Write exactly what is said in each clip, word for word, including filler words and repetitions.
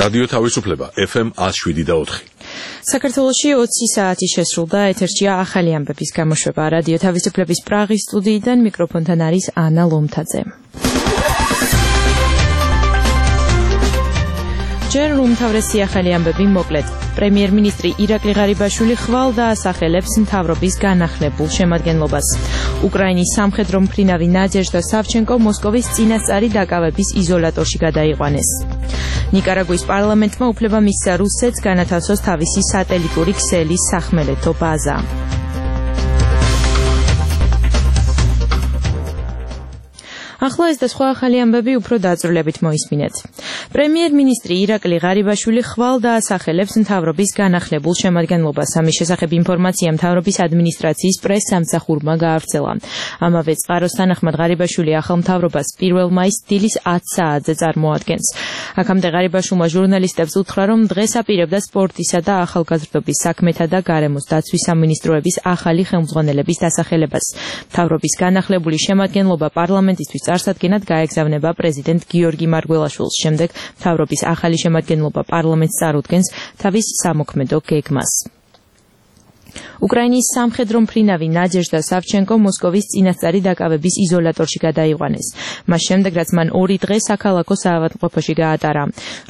რადიო თავისუფლება ეფ ემ ათს შვიდი და ოთხი. საქართველოში ოცი საათი შესრულდა, ეთერშია ახალი ამბების გამოშვება. რადიო თავისუფლების პრაღის სტუდიიდან მიკროფონთან არის ანა ლომთაძე. ჯერ უმთავრესი ახალი ამბები მოკლედ. პრემიერ-მინისტრი ირაკლი ღარიბაშვილი ხვალ დაასახელებს მთავრობის განახლებულ შემადგენლობას. უკრაინის სამხედრო მფრინავი ნადეჟდა სავჩენკო მოსკოვის წინასწარი დაკავების იზოლატორში გადაიყვანეს. ნიკარაგუის პარლამენტმა უფლება მისცა რუსეთს განათავსოს თავისი სატელიტური ქსელის სახმელეთო ბაზა. ახლა ეს და სხვა ახალი ამბები უფრო დაწვრილებით მოისმინეთ. პრემიერ-მინისტრი ირაკლი ღარიბაშვილი ხვალ დაასახელებს მთავრობის განახლებულ შემადგენლობას. ამის შესახებ ინფორმაცია მთავრობის ადმინისტრაციის პრეს-სამსახურმა გაავრცელა. ამავე წყაროს თანახმად ღარიბაშვილი ახალ მთავრობას პირველ მაისს დილის ათი საათზე წარმოადგენს. აქამდე ღარიბაშვილმა ჟურნალისტებს უთხრა, რომ დღეს აპირებდა სპორტისა და ახალგაზრდობის საქმეთა და გარემოს დაცვის სამინისტროების ახალი ხელმძღვანელების დასახელებას. მთავრობის განახლებული შემადგენლობა პარლამენტისთვის წარსადგენად გაეგზავნება პრეზიდენტ გიორგი მარგველაშვილს. შემდეგ მთავრობის ახალი შემადგენლობა პარლამენტს წარუდგენს თავის სამოქმედო გეგმას. უკრაინის სამხედრო მფრინავი ნადეჟდა სავჩენკო მოსკოვის წინასწარი დაკავების იზოლატორში გადაიყვანეს. მას შემდეგ, რაც მან ორი დღე საქალაქო საავადმყოფოში გაატარა.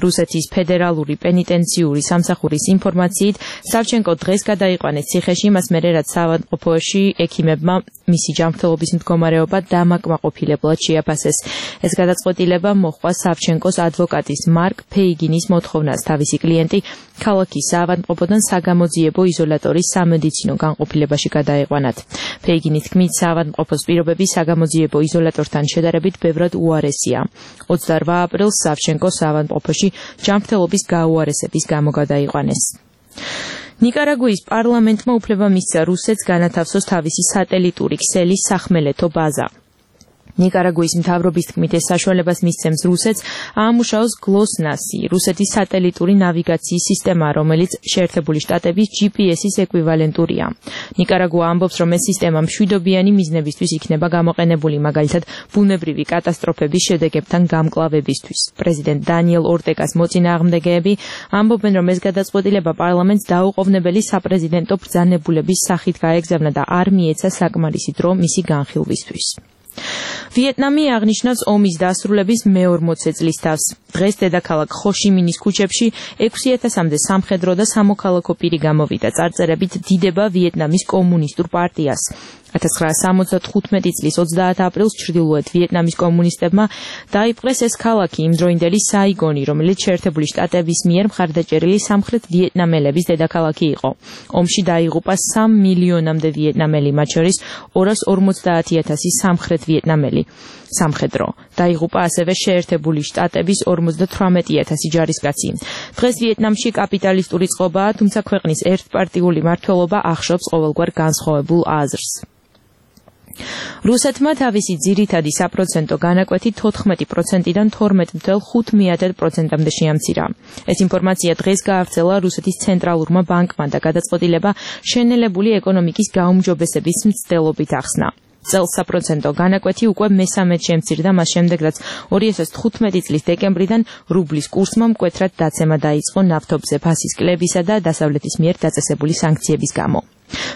რუსეთის ფედერალური პენიტენციური სამსახურის ინფორმაციით, სავჩენკო დღეს გადაიყვანეს ციხეში, მას მერე რაც საავადმყოფოში ექიმებმა მისი ჯანმრთელობის მდგომარეობა დამაკმაყოფილებლად შეაფასეს. ეს გადაწყვეტილება მოჰყვა სავჩენკოს ადვოკატის მარკ ფეიგინის მოთხოვნას. თავისი კლიენტი ქალაქის საავადმყოფოდან საგამოძიებო იზოლატორის სამედიცინო განყოფილებაში გადაეყვანათ. ფეიგინის თქმით, საავადმყოფოს პირობები საგამოძიებო იზოლატორთან შედარებით ბევრად უარესია. ოცდაორმა აპრილს სავჩენკო საავადმყოფოში ჯანმრთელობის გაუარესების გამო გადაიყვანეს. ნიკარაგუის პარლამენტმა უფლება მისცა რუსეთს განათავსოს თავისი სატელიტური ქსელის სახმელეთო ბაზა. ნიკარაგუის მთავრობის თქმით, ეს საშუალებას მისცემს რუსეთს აამუშაოს გლოსნასი, რუსეთის სატელიტური ნავიგაციის სისტემა, რომელიც შეერთებული შტატების ჯი პი ეს-ის ეკვივალენტურია. ნიკარაგუა ამბობს, რომ ეს სისტემა მშვიდობიანი მიზნებისთვის იქნება გამოყენებული, მაგალითად ბუნებრივი კატასტროფების შედეგებთან გამკლავებისთვის. პრეზიდენტ დანიელ ორტეგას მოწინააღმდეგეები ამბობენ, რომ ეს გადაწყვეტილება პარლამენტს დაუყოვნებელი საპრეზიდენტო ბრძანებულების სახით გაეგზავნა და არ მიეცა საკმარისი დრო მისი განხილვისთვის. ვიეტნამი აღნიშნავს ომის დასრულების მეორმოცე წლის თავს. დღეს დედაქალაქ ხოშიმინის ქუჩებში ექვსი ათასამდე სამხედრო და სამოქალაქო პირი გამოვიდა, წარწერებით დიდება ვიეტნამის კომუნისტურ პარტიას. ათას ცხრაასა სამოცდათხუთმეტი წლის ოცდაათი აპრილს ჩრდილოეთ ვიეტნამის კომუნისტებმა დაიპყრეს ეს ქალაქი, იმდროინდელი საიგონი, რომელიც შეერთებული შტატების მიერ მხარდაჭერილი სამხრეთ ვიეტნამელების დედაქალაქი იყო. ომში დაიღუპა სამ მილიონამდე ვიეტნამელი, მათ შორის ორას ორმოცდაათი ათასი სამხრეთ ვიეტნამელი. სამხედრო. დაიღუპა ასევე შეერთებული შტატების ორმოცდათვრამეტი ათასი ჯარისკაცი. დღეს ვიეტნამში კაპიტალისტური წყობაა, თუმცა ქვეყნის ერთპარტიული მმართველობა ახშობს ყოველგვარ განსხვავებულ აზრს. რუსეთმა თავისი ძირითადი საპროცენტო განაკვეთი თოთხმეტი პროცენტიდან თორმეტ ათას ხუთმეათე პროცენტამდე შეამცირა. ეს ინფორმაცია დღეს გაავრცელა რუსეთის ცენტრალურმა ბანკმა და გადაწყვეტილება შენელებული ეკონომიკის გაუმჯობესების მცდელობით ახსნა. წელს საპროცენტო განაკვეთი უკვე მესამედ შემცირდა, მას შემდეგ, რაც ორი ათას თხუთმეტი წლის დეკემბრიდან რუბლის კურსმა მკვეთრად დაცემა დაიწყო ნავთობზე ფასის კლებისა და დასავლეთის მიერ დაწესებული სანქციების გამო.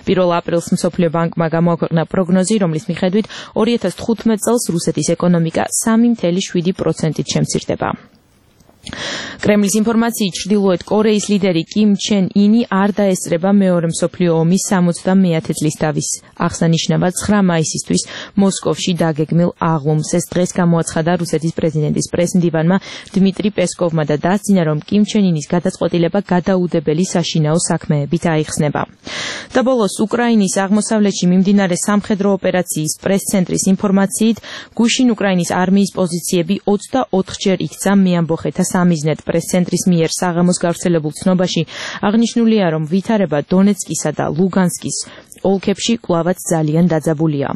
პირველ აპრილს მსოფლიო ბანკმა გამოაქვეყნა პროგნოზი, რომლის მიხედვით ორი ათას თხუთმეტ წელს რუსეთის ეკონომიკა სამი ათას შვიდი პროცენტით შემცირდება. კრემლის ინფორმაციით, ჩრდილოეთ კორეის ლიდერი კიმ ჩენ ინი არ დაესწრება მეორე მსოფლიო ომის სამოცდამეათე წლის დავის აღსანიშნავად ცხრა მაისისთვის მოსკოვში დაგეგმილ აღლუმს. ეს დღეს გამოაცხადა რუსეთის პრეზიდენტის პრესმდივანმა დმიტრი პესკოვმა და დასძინა, რომ კიმ ჩენ ინის გადაწყვეტილება გადაუდებელი საშინაო საქმეებით აიხსნება. და ბოლოს, უკრაინის აღმოსავლეთში მიმდინარე სამხედრო ოპერაციის პრეს-ცენტრის ინფორმაციით, გუშინ უკრაინის არმიის პოზიციები ოცდაოთხჯერ იქცა მეამბოხეთა სამიზნედ. პრეს-ცენტრის მიერ საღამოს გავრცელებულ ცნობაში აღნიშნულია, რომ ვითარება დონეცკისა და ლუგანსკის ოლქებში კვლავაც ძალიან დაძაბულია.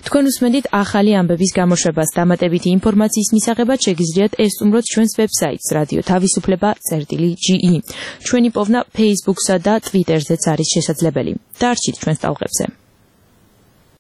თქვენ უსმენთ ახალი ამბების გამოშვებას. დამატებითი ინფორმაციის მისაღებად შეგიძლიათ ესწუმროთ ჩვენს ვებსაიტს რადიო თავისუფლება წერტილი ჯი ი. ჩვენი პოვნა Facebook-სა და Twitter-ზეც არის შესაძლებელი. დარჩით ჩვენს ტალღებზე.